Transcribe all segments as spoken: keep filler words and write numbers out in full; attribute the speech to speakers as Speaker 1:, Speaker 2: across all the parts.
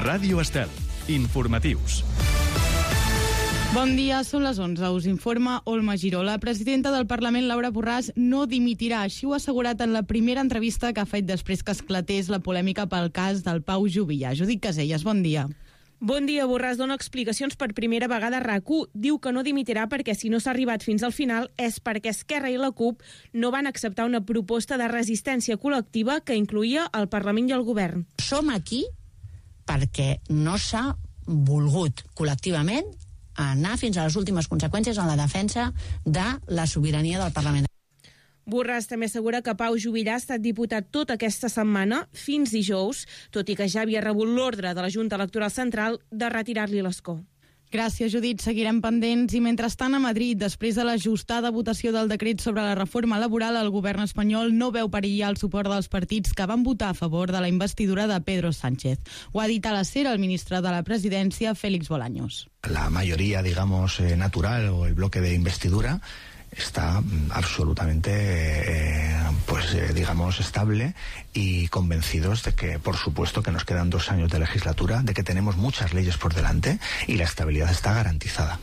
Speaker 1: Ràdio Estel. Informatius.
Speaker 2: Bon dia, són les onze. Us informa Olma Giró. La presidenta del Parlament, Laura Borràs, no dimitirà. Així ho ha assegurat en la primera entrevista que ha fet després que esclatés la polèmica pel cas del Pau Juvillà. Judit Caselles, bon dia.
Speaker 3: Bon dia, Borràs dona explicacions per primera vegada a RAC u. Diu que no dimitirà perquè si no s'ha arribat fins al final és perquè Esquerra i la CUP no van acceptar una proposta de resistència col·lectiva que incloïa el Parlament i el Govern.
Speaker 4: Som aquí perquè no s'ha volgut col·lectivament anar fins a les últimes conseqüències en la defensa de la sobirania del Parlament.
Speaker 3: Borràs també assegura que Pau Juvillà ha estat diputat tota aquesta setmana, fins dijous, tot i que ja havia rebut l'ordre de la Junta Electoral Central de retirar-li l'escó.
Speaker 2: Gràcies, Judit. Seguirem pendents. I mentrestant, a Madrid, després de l'ajustada votació del decret sobre la reforma laboral, el govern espanyol no veu perillar el suport dels partits que van votar a favor de la investidura de Pedro Sánchez. Ho ha dit a la SER el ministre de la Presidència, Félix Bolaños.
Speaker 5: La mayoría, digamos, eh, natural o el bloque de investidura está absolutamente, eh, pues eh, digamos, estable y convencidos de que, por supuesto, que nos quedan dos años de legislatura, de que tenemos muchas leyes por delante y la estabilidad está garantizada.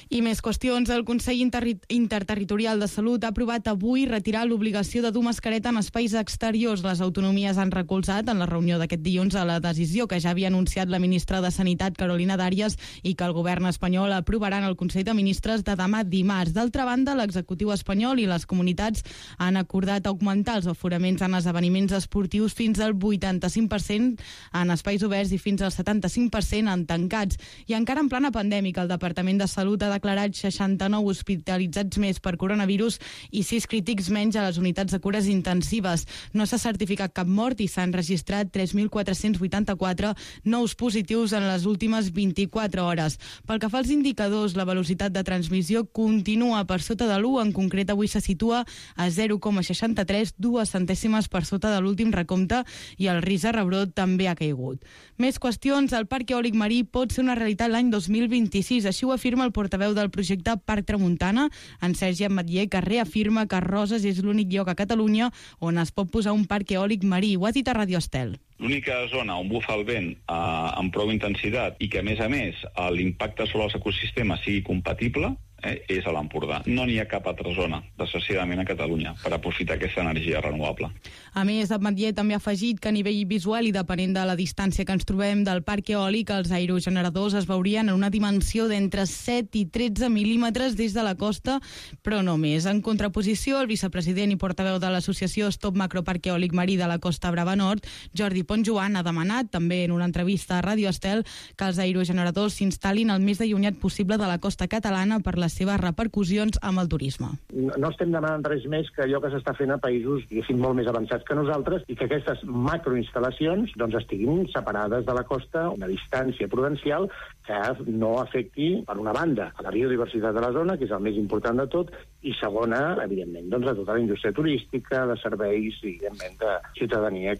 Speaker 2: I més qüestions. El Consell Interri- Interterritorial de Salut ha aprovat avui retirar l'obligació de dur mascareta en espais exteriors. Les autonomies han recolzat en la reunió d'aquest dilluns a la decisió que ja havia anunciat la ministra de Sanitat, Carolina Dàries, i que el govern espanyol aprovarà en el Consell de Ministres de demà dimarts. D'altra banda, l'executiu espanyol i les comunitats han acordat augmentar els aforaments en esdeveniments esportius fins al vuitanta-cinc per cent en espais oberts i fins al setanta-cinc per cent en tancats. I encara en plana pandèmica, el Departament de Salut ha declarat seixanta-nou hospitalitzats més per coronavirus i sis crítics menys a les unitats de cures intensives. No s'ha certificat cap mort i s'han registrat tres mil quatre-cents vuitanta-quatre nous positius en les últimes vint-i-quatre hores. Pel que fa als indicadors, la velocitat de transmissió continua per sota de l'u, en concret avui se situa a zero coma seixanta-tres, dues centèsimes per sota de l'últim recompte, i el risc de rebrot també ha caigut. Més qüestions. El parc eòlic marí pot ser una realitat l'any dos mil vint-i-sis, així ho afirma el portaveu del projecte Parc Tramuntana, en Sergi Ametller, que reafirma que Roses és l'únic lloc a Catalunya on es pot posar un parc eòlic marí. Ho ha dit a Radio Estel.
Speaker 6: L'única zona on bufa el vent eh, amb prou intensitat i que, a més a més, l'impacte sobre els ecosistemes sigui compatible, eh, és a l'Empordà. No n'hi ha cap altra zona, desgraciadament, a Catalunya, per aprofitar aquesta energia renovable.
Speaker 2: A més, Ametller també ha afegit que a nivell visual i depenent de la distància que ens trobem del parc eòlic, els aerogeneradors es veurien en una dimensió d'entre set i tretze mil·límetres des de la costa, però no més. En contraposició, el vicepresident i portaveu de l'associació Stop Macroparc Eòlic Marí de la Costa Brava Nord, Jordi Ponsjoan, ha demanat, també en una entrevista a Radio Estel, que els aerogeneradors s'instal·lin el més allunyat possible de la costa catalana per les seves repercussions amb el turisme.
Speaker 7: No, no estem demanant res més que allò que s'està fent a països, diguéssim, molt més avançats que nosaltres, i que aquestes macroinstal·lacions doncs, estiguin separades de la costa a una distància prudencial que no afecti, per una banda, a la biodiversitat de la zona, que és el més important de tot, i segona, evidentment, doncs, a tota la indústria turística, de serveis i, evidentment, de ciutadania.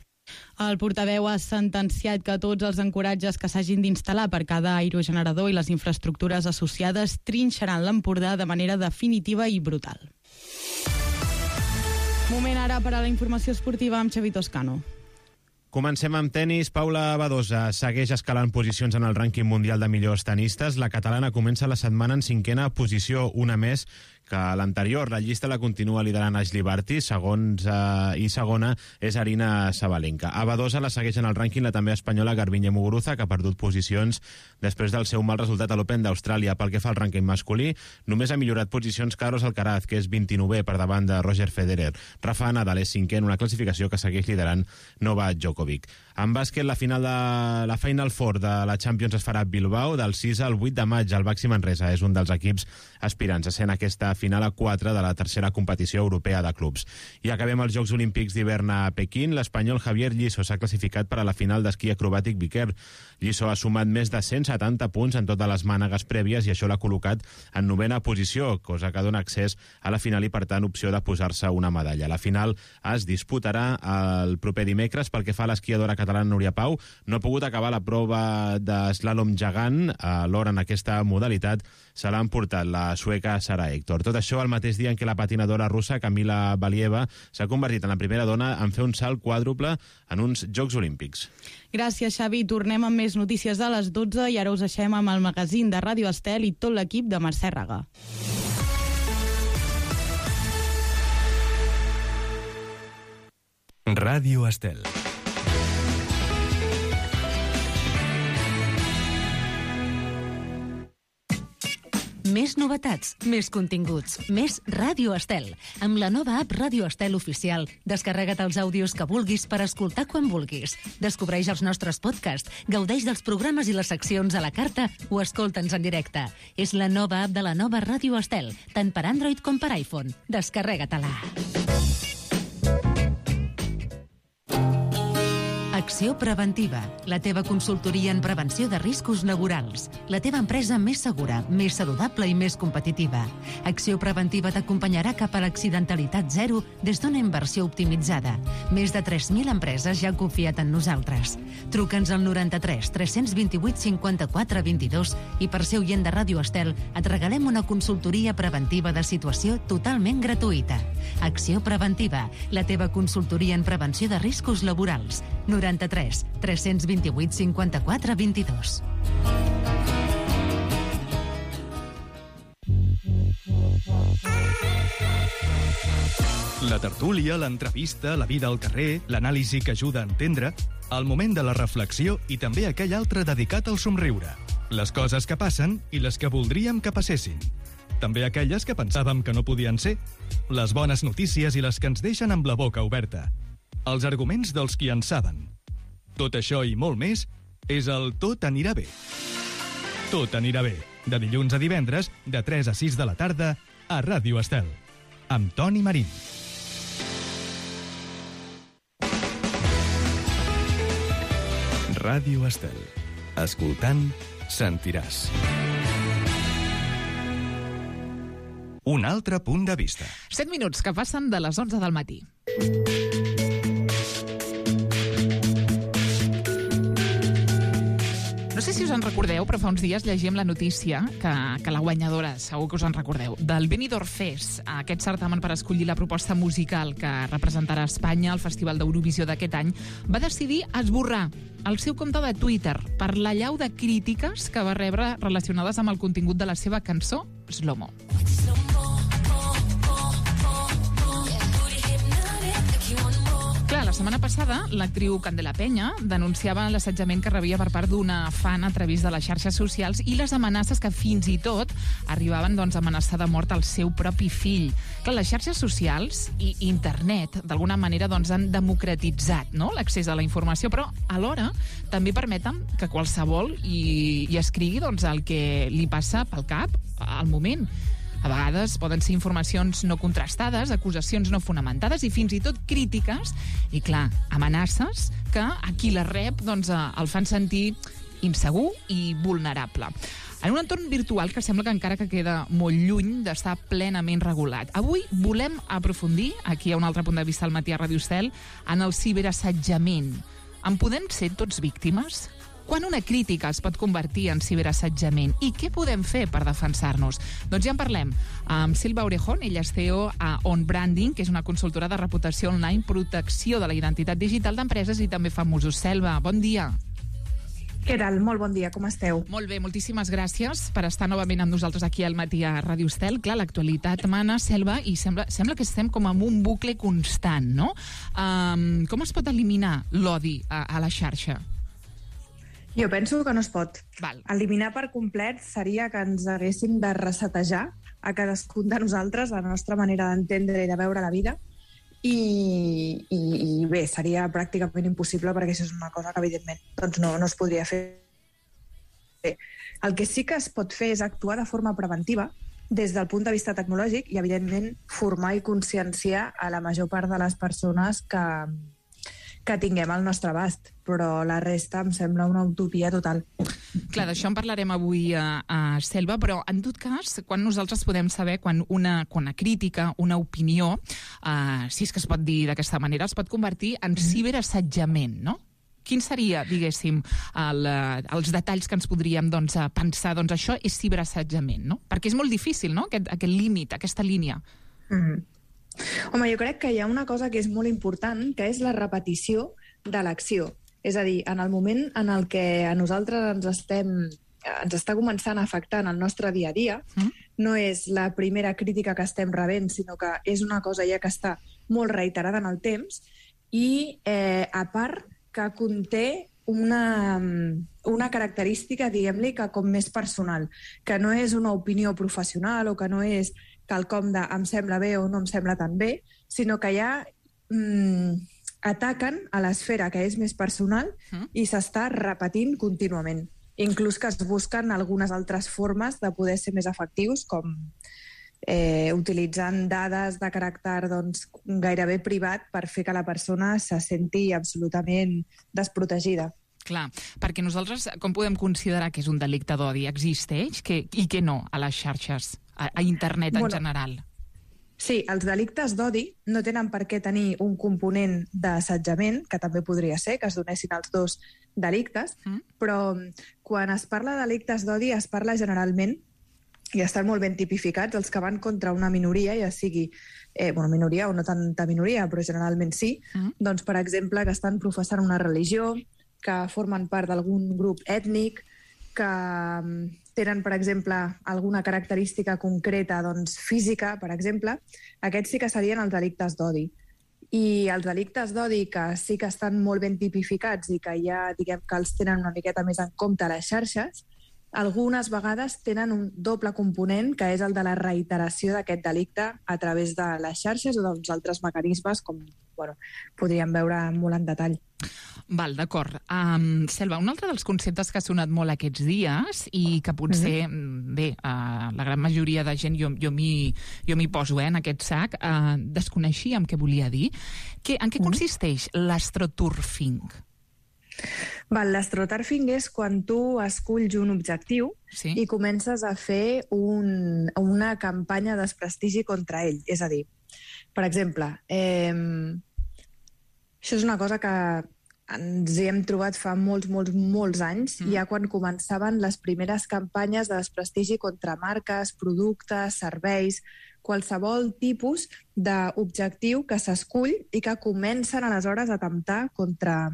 Speaker 2: El portaveu ha sentenciat que tots els ancoratges que s'hagin d'instal·lar per cada aerogenerador i les infraestructures associades trinxaran l'Empordà de manera definitiva i brutal. Moment ara per a la informació esportiva amb Xavi Toscano.
Speaker 8: Comencem amb tenis. Paula Badosa segueix escalant posicions en el rànquing mundial de millors tenistes. La catalana comença la setmana en cinquena posició, una més que l'anterior. La llista la continua liderant Ashley Barty, segons, eh, i segona és Arina Sabalenka. A Badosa la segueix en el rànquing la també espanyola Garbiñe Muguruza, que ha perdut posicions després del seu mal resultat a l'Open d'Austràlia. Pel que fa al rànquing masculí, només ha millorat posicions Carlos Alcaraz, que és vint-i-novè per davant de Roger Federer. Rafa Nadal és cinquè en una classificació que segueix liderant Novak Djokovic. En bàsquet, la final de la Final Four de la Champions es farà a Bilbao del sis al vuit de maig. El Baxi Manresa és un dels equips aspirants a ser en aquesta final a quatre de la tercera competició europea de clubs. I acabem els Jocs Olímpics d'hivern a Pequín. L'espanyol Javier Lliso s'ha classificat per a la final d'esquí acrobàtic Viquer. Lliso ha sumat més de cent setanta punts en totes les mànegues prèvies i això l'ha col·locat en novena posició, cosa que dona accés a la final i, per tant, opció de posar-se una medalla. La final es disputarà el proper dimecres. Pel que fa a l'esquiadora catalana Núria Pau, no ha pogut acabar la prova d'eslàlom gegant. Alhora, en aquesta modalitat se l'ha emportat la sueca Sara Hector. Tot Tot això al mateix dia en què la patinadora russa Kamila Valieva s'ha convertit en la primera dona en fer un salt quàdruple en uns Jocs Olímpics.
Speaker 2: Gràcies, Xavi. Tornem amb més notícies a les dotze i ara us deixem amb el magazín de Ràdio Estel i tot l'equip de Mercè Raga.
Speaker 1: Ràdio Estel.
Speaker 9: Més novetats, més continguts, més Ràdio Estel. Amb la nova app Ràdio Estel Oficial, descarrega't els àudios que vulguis per escoltar quan vulguis. Descobreix els nostres podcasts, gaudeix dels programes i les seccions a la carta o escolta'ns en directe. És la nova app de la nova Ràdio Estel, tant per Android com per iPhone. Descarrega-te-la. Acció Preventiva, la teva consultoria en prevenció de riscos laborals. La teva empresa més segura, més saludable i més competitiva. Acció Preventiva t'acompanyarà cap a l'accidentalitat zero des d'una inversió optimitzada. Més de tres mil empreses ja han confiat en nosaltres. Truca'ns al noranta-tres tres vint vuit cinquanta-quatre vint-i-dos i per ser oient de Ràdio Estel et regalem una consultoria preventiva de situació totalment gratuïta. Acció Preventiva, la teva consultoria en prevenció de riscos laborals. noranta-tres tres vint vuit cinquanta-quatre vint-i-dos.
Speaker 1: La tertúlia, l'entrevista, la vida al carrer, l'anàlisi que ajuda a entendre, el moment de la reflexió i també aquell altre dedicat al somriure. Les coses que passen i les que voldríem que passessin. També aquelles que pensàvem que no podien ser. Les bones notícies i les que ens deixen amb la boca oberta. Els arguments dels qui en saben. Tot això i molt més és el Tot anirà bé. Tot anirà bé, de dilluns a divendres, de tres a sis de la tarda, a Ràdio Estel, amb Toni Marín. Ràdio Estel. Escoltant, sentiràs. Un altre punt de vista.
Speaker 10: set minuts que passen de les onze del matí. No sé si us en recordeu, però fa uns dies llegíem la notícia que, que la guanyadora, segur que us en recordeu, del Benidorm Fest, aquest certamen per escollir la proposta musical que representarà Espanya al Festival d'Eurovisió d'aquest any, va decidir esborrar el seu compte de Twitter per l'allau de crítiques que va rebre relacionades amb el contingut de la seva cançó Slow-Mo. Clar, la setmana passada, l'actriu Candela Peña denunciava l'assetjament que rebia per part d'una fan a través de les xarxes socials i les amenaces que fins i tot arribaven doncs, a amenaçar de mort el seu propi fill. Clar, les xarxes socials i internet, d'alguna manera, doncs, han democratitzat, no?, l'accés a la informació, però alhora també permeten que qualsevol hi, hi escrigui doncs, el que li passa pel cap al moment. A vegades poden ser informacions no contrastades, acusacions no fonamentades i fins i tot crítiques i, clar, amenaces que a qui les rep doncs, el fan sentir insegur i vulnerable. En un entorn virtual que sembla que encara que queda molt lluny d'estar plenament regulat. Avui volem aprofundir, aquí hi ha un altre punt de vista al matí a Ràdio Estel, en el ciberassetjament. En podem ser tots víctimes? Quan una crítica es pot convertir en ciberassetjament? I què podem fer per defensar-nos? Doncs ja en parlem amb Silva Orejón, ella és C E O a On Branding, que és una consultora de reputació online, protecció de la identitat digital d'empreses i també famosos. Selva, bon dia.
Speaker 11: Què tal? Molt bon dia, com esteu?
Speaker 10: Molt bé, moltíssimes gràcies per estar novament amb nosaltres aquí al matí a Ràdio Estel. Clar, l'actualitat mana, Selva, i sembla, sembla que estem com en un bucle constant, no? Um, com es pot eliminar l'odi a, a la xarxa?
Speaker 11: Jo penso que no es pot.
Speaker 10: Val.
Speaker 11: Eliminar per complet seria que ens haguéssim de resetejar a cadascun de nosaltres la nostra manera d'entendre i de veure la vida i, i, i bé, seria pràcticament impossible perquè això és una cosa que evidentment doncs no, no es podria fer. Bé, el que sí que es pot fer és actuar de forma preventiva des del punt de vista tecnològic i evidentment formar i conscienciar a la major part de les persones que que tinguem al nostre abast, però la resta em sembla una utopia total.
Speaker 10: Clar, d'això en parlarem avui a, a Selva, però en tot cas, quan nosaltres podem saber quan una, quan una crítica, una opinió, uh, si és que es pot dir d'aquesta manera, es pot convertir en ciberassetjament, no? Quin seria, diguéssim, el, els detalls que ens podríem doncs, pensar, doncs això és ciberassetjament, no? Perquè és molt difícil, no?, aquest, aquest límit, aquesta línia.
Speaker 11: Mm-hmm. Home, jo crec que hi ha una cosa que és molt important, que és la repetició de l'acció. És a dir, en el moment en el que a nosaltres ens estem ens està començant a afectar en el nostre dia a dia, mm. no és la primera crítica que estem rebent, sinó que és una cosa ja que està molt reiterada en el temps i, eh, a part, que conté una, una característica, diguem-li, que com més personal, que no és una opinió professional o que no és quelcom de em sembla bé o no em sembla tan bé, sinó que ja mm, ataquen a l'esfera que és més personal mm. i s'està repetint contínuament. Inclús que es busquen algunes altres formes de poder ser més efectius, com eh, utilitzant dades de caràcter doncs, gairebé privat per fer que la persona se senti absolutament desprotegida.
Speaker 10: Clar, perquè nosaltres com podem considerar que és un delicte d'odi? Existeix que, i que no a les xarxes, a, a internet en bueno, general?
Speaker 11: Sí, els delictes d'odi no tenen per què tenir un component d'assetjament, que també podria ser, que es donessin els dos delictes, mm. però quan es parla de delictes d'odi es parla generalment, i estan molt ben tipificats, els que van contra una minoria, ja sigui eh, bueno, minoria o no tanta minoria, però generalment sí, mm. doncs, per exemple, que estan professant una religió, que formen part d'algun grup ètnic, que tenen, per exemple, alguna característica concreta doncs, física, per exemple, aquests sí que serien els delictes d'odi. I els delictes d'odi, que sí que estan molt ben tipificats i que ja diguem que els tenen una miqueta més en compte a les xarxes, algunes vegades tenen un doble component, que és el de la reiteració d'aquest delicte a través de les xarxes o dels altres mecanismes, com bueno, podríem veure molt en detall.
Speaker 10: Val, d'acord. Um, Selva, un altre dels conceptes que ha sonat molt aquests dies i que potser, mm-hmm. bé, uh, la gran majoria de gent, jo, jo m'hi jo m'hi poso eh, en aquest sac, uh, desconeixíem què volia dir. Que, en què consisteix mm-hmm. l'astroturfing?
Speaker 11: Val, l'astroturfing és quan tu esculls un objectiu sí. i comences a fer un, una campanya de desprestigi contra ell. És a dir, per exemple, eh, això és una cosa que ens hi hem trobat fa molts, molts, molts anys, mm. ja quan començaven les primeres campanyes de desprestigi contra marques, productes, serveis, qualsevol tipus d'objectiu que s'escull i que comencen aleshores a temptar contra,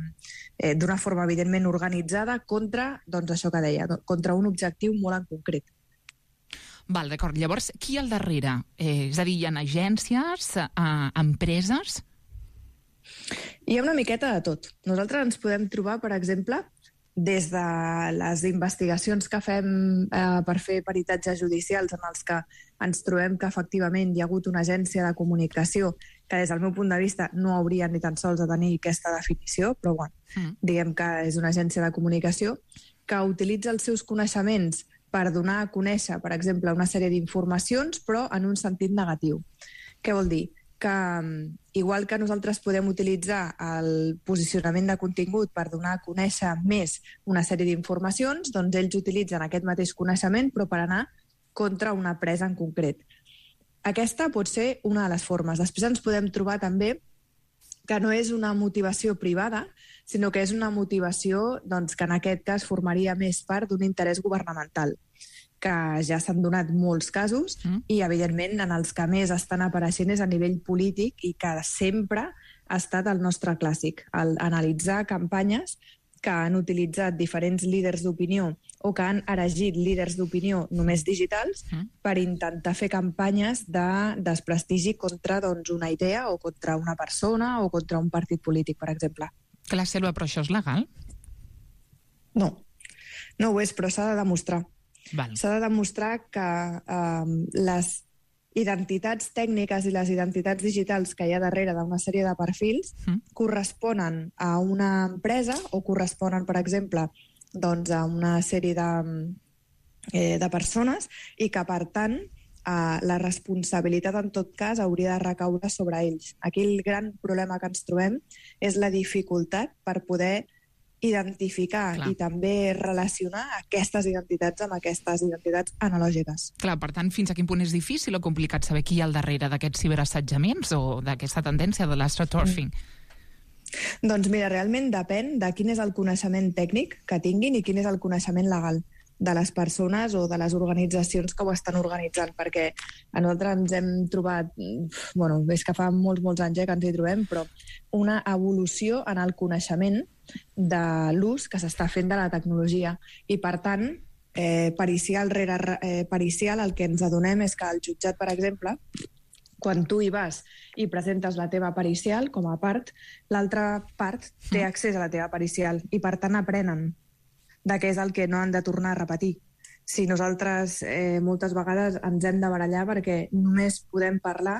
Speaker 11: eh, d'una forma evidentment organitzada, contra, doncs això que deia, contra un objectiu molt en concret.
Speaker 10: Val, d'acord. Llavors, qui hi ha al darrere? Eh, és a dir, hi ha agències, eh, empreses?
Speaker 11: Hi ha una miqueta de tot. Nosaltres ens podem trobar, per exemple, des de les investigacions que fem eh, per fer peritatges judicials en els que ens trobem que efectivament hi ha hagut una agència de comunicació que des del meu punt de vista no hauria ni tan sols de tenir aquesta definició, però bueno, mm. diguem que és una agència de comunicació que utilitza els seus coneixements per donar a conèixer, per exemple, una sèrie d'informacions, però en un sentit negatiu. Què vol dir? Que igual que nosaltres podem utilitzar el posicionament de contingut per donar a conèixer més una sèrie d'informacions, doncs ells utilitzen aquest mateix coneixement però per anar contra una presa en concret. Aquesta pot ser una de les formes. Després ens podem trobar també que no és una motivació privada, sinó que és una motivació doncs, que en aquest cas formaria més part d'un interès governamental, que ja s'han donat molts casos mm. i, evidentment, en els que més estan apareixent és a nivell polític i que sempre ha estat el nostre clàssic, el analitzar campanyes que han utilitzat diferents líders d'opinió o que han erigit líders d'opinió només digitals mm. per intentar fer campanyes de desprestigi contra doncs, una idea o contra una persona o contra un partit polític, per exemple.
Speaker 10: Clar, Selva, però això és legal?
Speaker 11: No, no ho és, però s'ha de demostrar.
Speaker 10: Val.
Speaker 11: S'ha de demostrar que eh, les identitats tècniques i les identitats digitals que hi ha darrere d'una sèrie de perfils mm. corresponen a una empresa o corresponen, per exemple, doncs, a una sèrie de, eh, de persones i que, per tant, eh, la responsabilitat, en tot cas, hauria de recaure sobre ells. Aquí el gran problema que ens trobem és la dificultat per poder identificar Clar. I també relacionar aquestes identitats amb aquestes identitats analògiques.
Speaker 10: Clar, per tant, fins a quin punt és difícil o complicat saber qui hi ha al darrere d'aquests ciberassetjaments o d'aquesta tendència de l'astroturfing?
Speaker 11: Mm. Doncs mira, realment depèn de quin és el coneixement tècnic que tinguin i quin és el coneixement legal de les persones o de les organitzacions que ho estan organitzant, perquè a nosaltres ens hem trobat, bueno, és que fa molts, molts anys eh, que ens hi trobem, però una evolució en el coneixement de l'ús que s'està fent de la tecnologia. I, per tant, eh, pericial rere eh, pericial, el que ens adonem és que el jutjat, per exemple, quan tu hi vas i presentes la teva pericial com a part, l'altra part té accés a la teva pericial i, per tant, aprenen de què és el que no han de tornar a repetir. Si nosaltres eh, moltes vegades ens hem de barallar perquè només podem parlar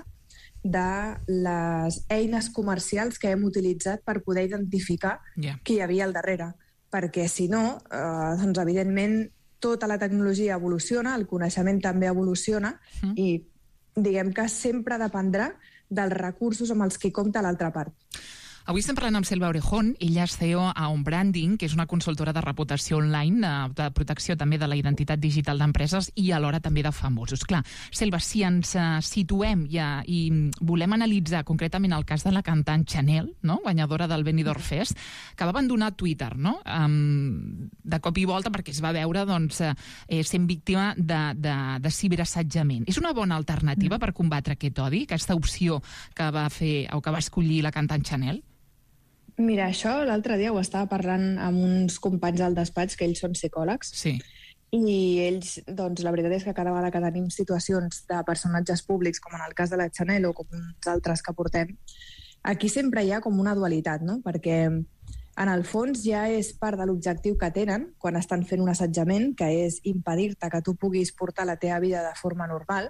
Speaker 11: de les eines comercials que hem utilitzat per poder identificar yeah. qui hi havia al darrere. Perquè, si no, eh, doncs, evidentment, tota la tecnologia evoluciona, el coneixement també evoluciona mm. i diguem que sempre dependrà dels recursos amb els que compta l'altra part.
Speaker 10: Avui estem parlant amb Selva Orejón. Ella és C E O a On Branding, que és una consultora de reputació online, de protecció també de la identitat digital d'empreses i alhora també de famosos. Clar, Selva, si ens situem ja i volem analitzar concretament el cas de la cantant Chanel, no? Guanyadora del Benidorm Fest, que va abandonar Twitter, no? Um, de cop i volta perquè es va veure doncs, eh, sent víctima de, de, de ciberassetjament. És una bona alternativa per combatre aquest odi, aquesta opció que va fer o que va escollir la cantant Chanel?
Speaker 11: Mira, això l'altre dia ho estava parlant amb uns companys al despatx, que ells són psicòlegs,
Speaker 10: sí.
Speaker 11: I ells, doncs, la veritat és que cada vegada que tenim situacions de personatges públics, com en el cas de la Chanel o com uns altres que portem, aquí sempre hi ha com una dualitat, no? Perquè en el fons ja és part de l'objectiu que tenen quan estan fent un assetjament, que és impedir-te que tu puguis portar la teva vida de forma normal,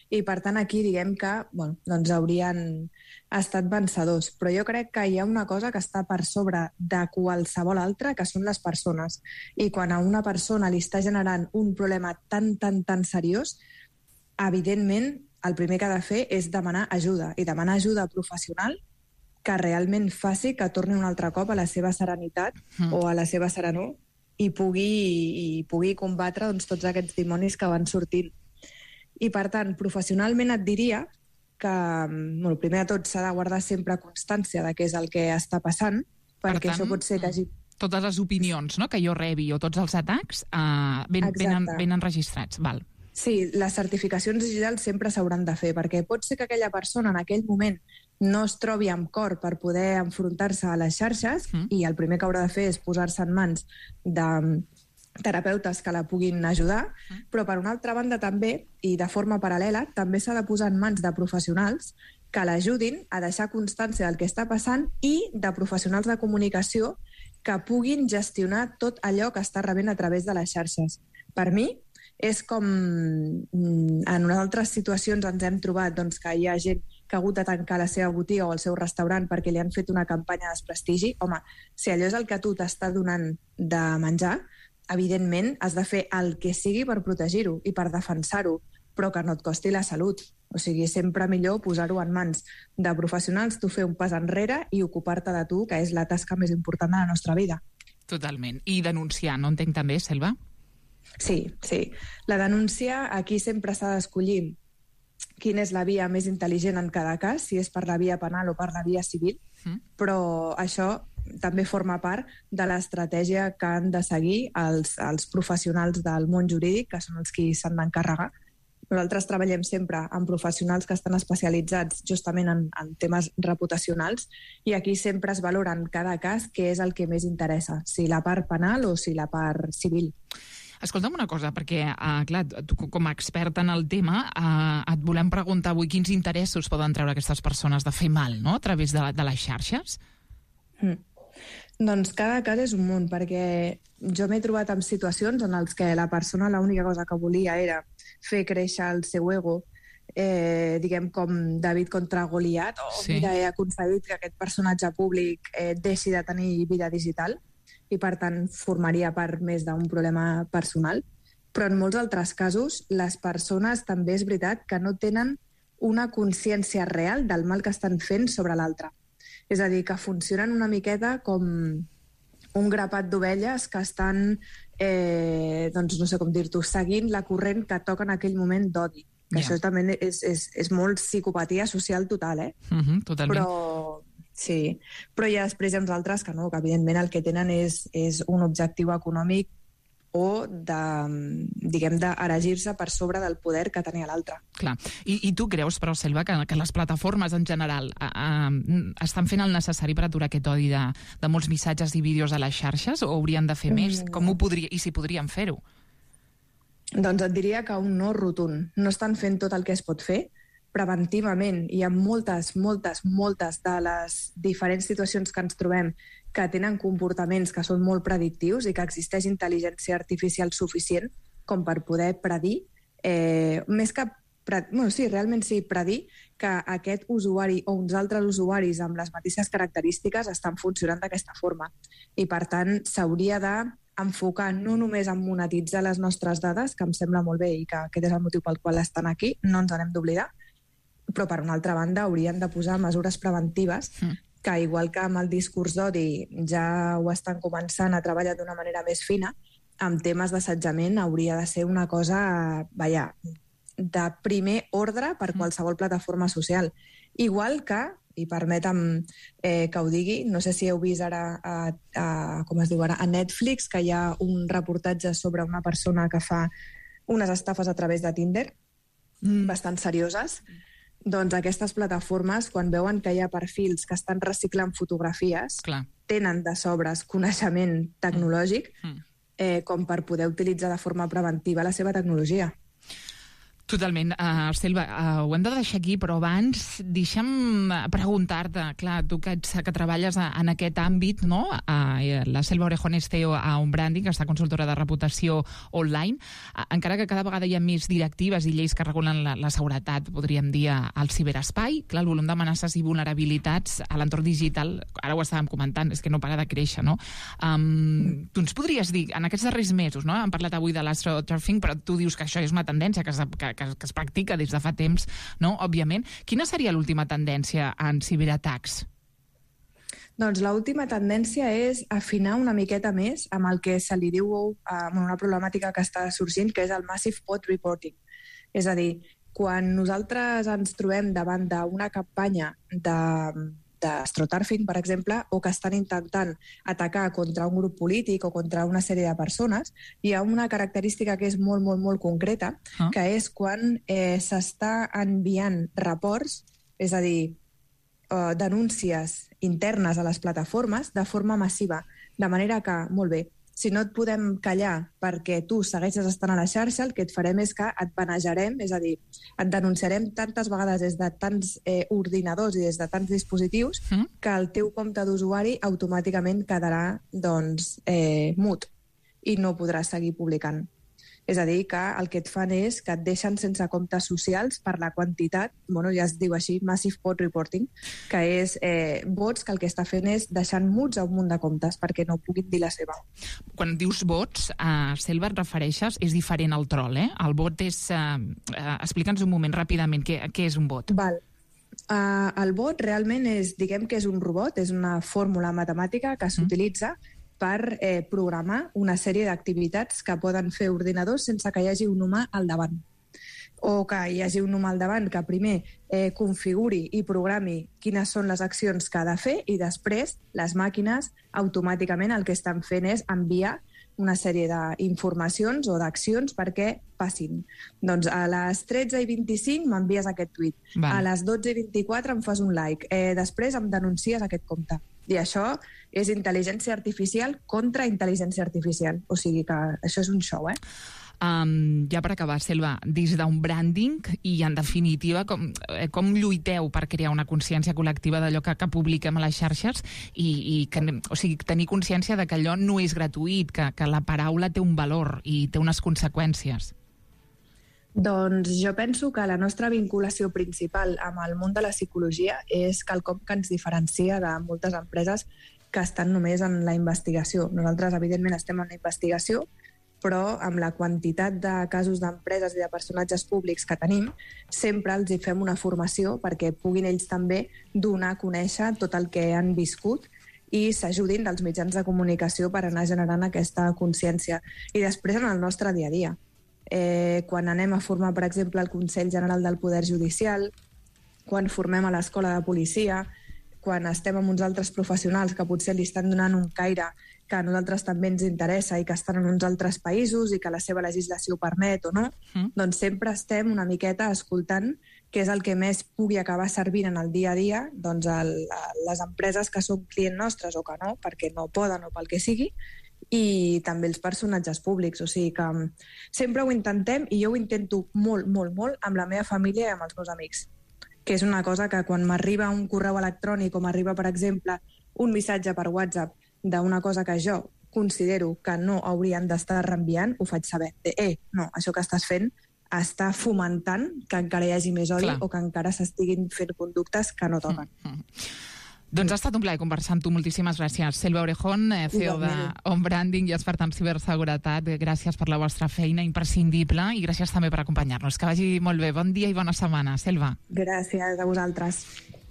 Speaker 11: i per tant aquí diguem que bueno, doncs haurien estat vencedors. Però jo crec que hi ha una cosa que està per sobre de qualsevol altra, que són les persones. I quan a una persona li està generant un problema tan, tan, tan seriós, evidentment el primer que ha de fer és demanar ajuda, i demanar ajuda professional que realment faci que torni un altre cop a la seva serenitat mm. o a la seva serenor i pugui, i pugui combatre doncs, tots aquests dimonis que van sortint. I, per tant, professionalment et diria que, bueno, primer de tot, s'ha de guardar sempre constància de què és el que està passant, perquè per tant, això pot ser que hagi...
Speaker 10: Totes les opinions, no?, que jo rebi o tots els atacs eh, ben, ben, ben enregistrats. Val.
Speaker 11: Sí, les certificacions digitals sempre s'hauran de fer, perquè pot ser que aquella persona en aquell moment no es trobi amb cor per poder enfrontar-se a les xarxes mm. i el primer que haurà de fer és posar-se en mans de terapeutes que la puguin ajudar, però per una altra banda també, i de forma paral·lela, també s'ha de posar en mans de professionals que l'ajudin a deixar constància del que està passant i de professionals de comunicació que puguin gestionar tot allò que està rebent a través de les xarxes. Per mi, és com en unes altres situacions ens hem trobat doncs, que hi ha gent que ha hagut de tancar la seva botiga o el seu restaurant perquè li han fet una campanya de desprestigi. Home, si allò és el que tu t'està donant de menjar, evidentment has de fer el que sigui per protegir-ho i per defensar-ho, però que no et costi la salut. O sigui, sempre millor posar-ho en mans de professionals, tu fer un pas enrere i ocupar-te de tu, que és la tasca més important de la nostra vida.
Speaker 10: Totalment. I denunciar, no entenc també, Selva?
Speaker 11: Sí, sí. La denúncia aquí sempre s'ha d'escollir quina és la via més intel·ligent en cada cas, si és per la via penal o per la via civil, mm. però això també forma part de l'estratègia que han de seguir els, els professionals del món jurídic, que són els qui s'han d'encarregar. Nosaltres treballem sempre amb professionals que estan especialitzats justament en, en temes reputacionals i aquí sempre es valora en cada cas què és el que més interessa, si la part penal o si la part civil.
Speaker 10: Escolta'm una cosa, perquè, uh, clar, tu com a experta en el tema, uh, et volem preguntar avui quins interessos poden treure aquestes persones de fer mal, no?, a través de, de les xarxes?
Speaker 11: Mm. Doncs cada cas és un món, perquè jo m'he trobat en situacions en les que la persona l'única cosa que volia era fer créixer el seu ego, eh, diguem com David contra Goliat, o sí. Mira, he aconseguit que aquest personatge públic eh, deixi de tenir vida digital, i per tant formaria part més d'un problema personal. Però en molts altres casos les persones també és veritat que no tenen una consciència real del mal que estan fent sobre l'altre. És a dir, que funcionen una miqueta com un grapat d'ovelles que estan, eh, doncs no sé com dir-t'ho, seguint la corrent que toca en aquell moment d'odi. Que yeah. Això també és, és, és molt psicopatia social total, eh?
Speaker 10: Uh-huh, totalment.
Speaker 11: Però Sí, però hi ha després hi ha uns altres que no, que evidentment el que tenen és, és un objectiu econòmic o de, diguem, d'erigir-se per sobre del poder que tenia l'altre.
Speaker 10: Clar. I, I tu creus, però, Selva, que, que les plataformes en general a, a, estan fent el necessari per aturar aquest odi de, de molts missatges i vídeos a les xarxes, o haurien de fer més?
Speaker 11: Mm.
Speaker 10: Com ho podria, i si podrien fer-ho?
Speaker 11: Doncs et diria que un no rotund. No estan fent tot el que es pot fer preventivament. Hi ha moltes, moltes, moltes de les diferents situacions que ens trobem que tenen comportaments que són molt predictius i que existeix intel·ligència artificial suficient com per poder predir, eh, més que pre... bueno, sí, realment sí, predir que aquest usuari o uns altres usuaris amb les mateixes característiques estan funcionant d'aquesta forma. I, per tant, s'hauria d'enfocar no només en monetitzar les nostres dades, que em sembla molt bé i que aquest és el motiu pel qual estan aquí, no ens n'hem d'oblidar, però, per una altra banda, haurien de posar mesures preventives mm. que, igual que amb el discurs d'odi ja ho estan començant a treballar d'una manera més fina, amb temes d'assetjament hauria de ser una cosa, vaja, de primer ordre per qualsevol plataforma social. Igual que, i permetem eh, que ho digui, no sé si heu vist ara a, a, com es diu ara, a Netflix, que hi ha un reportatge sobre una persona que fa unes estafes a través de Tinder, mm. bastant serioses. Doncs aquestes plataformes, quan veuen que hi ha perfils que estan reciclant fotografies, Clar. tenen de sobres coneixement tecnològic mm. eh, com per poder utilitzar de forma preventiva la seva tecnologia.
Speaker 10: Totalment. Uh, Selva, uh, ho hem de deixar aquí, però abans deixa'm preguntar-te, clar, tu que, ets, que treballes a, en aquest àmbit, no? Uh, la Selva Orejón és C E O a OnBranding, que està consultora de reputació online. Uh, encara que cada vegada hi ha més directives i lleis que regulen la, la seguretat, podríem dir, al ciberespai, clar, el volum d'amenaces i vulnerabilitats a l'entorn digital, ara ho estàvem comentant, és que no para de créixer, no? Um, tu ens podries dir, en aquests darrers mesos, no? Hem parlat avui de l'astroturfing, però tu dius que això és una tendència que, que Que, que es practica des de fa temps, no? Òbviament. Quina seria l'última tendència en ciberatacs?
Speaker 11: Doncs l'última tendència és afinar una miqueta més amb el que se li diu amb una problemàtica que està sorgint, que és el Massive Bot Reporting. És a dir, quan nosaltres ens trobem davant d'una campanya de d'astroturfing, per exemple, o que estan intentant atacar contra un grup polític o contra una sèrie de persones, hi ha una característica que és molt, molt, molt concreta, ah. que és quan eh, s'està enviant reports, és a dir, eh, denúncies internes a les plataformes de forma massiva, de manera que, molt bé, si no et podem callar perquè tu segueixes estant a la xarxa, el que et farem és que et banejarem, és a dir, et denunciarem tantes vegades des de tants eh, ordinadors i des de tants dispositius mm. que el teu compte d'usuari automàticament quedarà doncs, eh, mut i no podràs seguir publicant. És a dir, que el que et fan és que et deixen sense comptes socials per la quantitat, bueno, ja es diu així, Massive Bot Reporting, que és eh, bots que el que està fent és deixant muts a un munt de comptes perquè no puguin dir la seva.
Speaker 10: Quan dius bots, a Selva et refereixes, és diferent al troll, eh? El bot és... Eh, eh, explica'ns un moment ràpidament què, què és un bot.
Speaker 11: Val. Uh, el bot realment és, diguem que és un robot, és una fórmula matemàtica que s'utilitza mm. per eh, programar una sèrie d'activitats que poden fer ordinadors sense que hi hagi un humà al davant. O que hi hagi un humà al davant que primer eh, configuri i programi quines són les accions que ha de fer i després les màquines automàticament el que estan fent és enviar una sèrie d'informacions o d'accions perquè passin. Doncs a les tretze i vint-i-cinc m'envies aquest tuit. Val. A les dotze i vint-i-quatre em fas un like. Eh, després em denuncies aquest compte. I això és intel·ligència artificial contra intel·ligència artificial. O sigui que això és un show, eh?
Speaker 10: Um, ja per acabar, Selva, des d'un branding i, en definitiva, com, com lluiteu per crear una consciència col·lectiva d'allò que, que publiquem a les xarxes i, i que, o sigui, tenir consciència de que allò no és gratuït, que, que la paraula té un valor i té unes conseqüències?
Speaker 11: Doncs jo penso que la nostra vinculació principal amb el món de la psicologia és quelcom que ens diferencia de moltes empreses que estan només en la investigació. Nosaltres, evidentment, estem en la investigació, però amb la quantitat de casos d'empreses i de personatges públics que tenim, sempre els hi fem una formació perquè puguin ells també donar a conèixer tot el que han viscut i s'ajudin dels mitjans de comunicació per anar generant aquesta consciència. I després en el nostre dia a dia. Eh, quan anem a formar, per exemple, el Consell General del Poder Judicial, quan formem a l'Escola de Policia, quan estem amb uns altres professionals que potser li estan donant un caire que a nosaltres també ens interessa i que estan en uns altres països i que la seva legislació ho permet o no, mm. doncs sempre estem una miqueta escoltant què és el que més pugui acabar servint en el dia a dia doncs el, les empreses que són clients nostres o que no, perquè no poden o pel que sigui, i també els personatges públics. O sigui que sempre ho intentem i jo ho intento molt, molt, molt amb la meva família i amb els meus amics, que és una cosa que quan m'arriba un correu electrònic o m'arriba, per exemple, un missatge per WhatsApp d'una cosa que jo considero que no haurien d'estar reenviant, ho faig saber. De, eh, no, això que estàs fent està fomentant que encara hi hagi més odi Clar. O que encara s'estiguin fent conductes que no toquen. Mm -hmm.
Speaker 10: Doncs ha estat un plaer conversar amb tu. Moltíssimes gràcies. Selva Orejón, C E O d'On Branding i expert en ciberseguretat. Gràcies per la vostra feina imprescindible i gràcies també per acompanyar-nos. Que vagi molt bé. Bon dia i bona setmana. Selva.
Speaker 11: Gràcies a vosaltres.